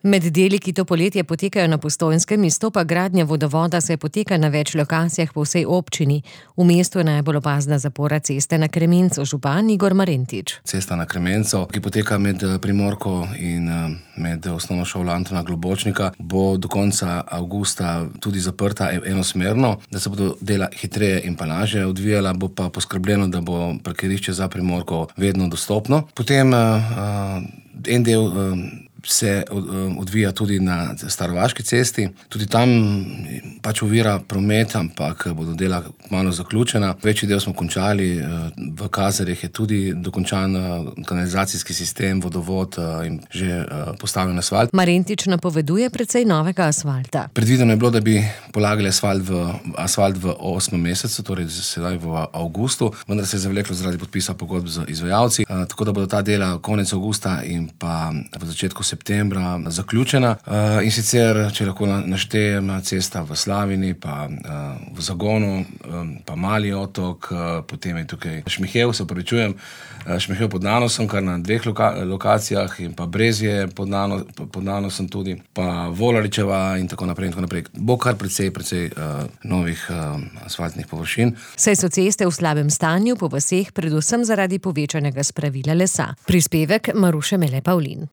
Med deli, ki to poletje potekajo na Postojnskem, izstopa gradnja vodovoda, saj poteka na več lokacijah po vsej občini. V mestu je najbolj opazna zapora ceste na Kremencu, župan Igor Marentič. Cesta na Kremencu, ki poteka med Primorko in med osnovno šolo Antona Globočnika, bo do konca avgusta tudi zaprta enosmerno, da se bodo dela hitreje in pa lažje odvijala, bo pa poskrbljeno, da bo parkirišče za Primorko vedno dostopno. Potem en del se odvija tudi na Starovaški cesti. Tudi tam pač ovira promet, ampak bodo dela malo zaključena. Večji del smo končali, v Kazarjih je tudi dokončan kanalizacijski sistem, vodovod in že postavljen asfalt. Marentič napoveduje precej novega asfalta. Predvideno je bilo, da bi polagali asfalt v 8. mesecu, torej sedaj v avgustu, vendar se je zavleklo zaradi podpisa pogodb z izvajalci, tako da bodo ta dela konec avgusta in pa v začetku septembra zaključena. In sicer, če lahko naštejem, cesta v Slavini, pa v Zagonu, pa Mali otok, potem je tukaj Šmihev, Šmihev pod Nanosom, kar na 2 lokacijah, in pa Brezje pod Nanosom tudi, pa Volaričeva in tako naprej in tako naprej. Bo kar precej novih asfaltnih površin. Saj so ceste v slabem stanju po vaseh, predvsem zaradi povečanega spravila lesa. Prispevek Maruše Mele Pavlin.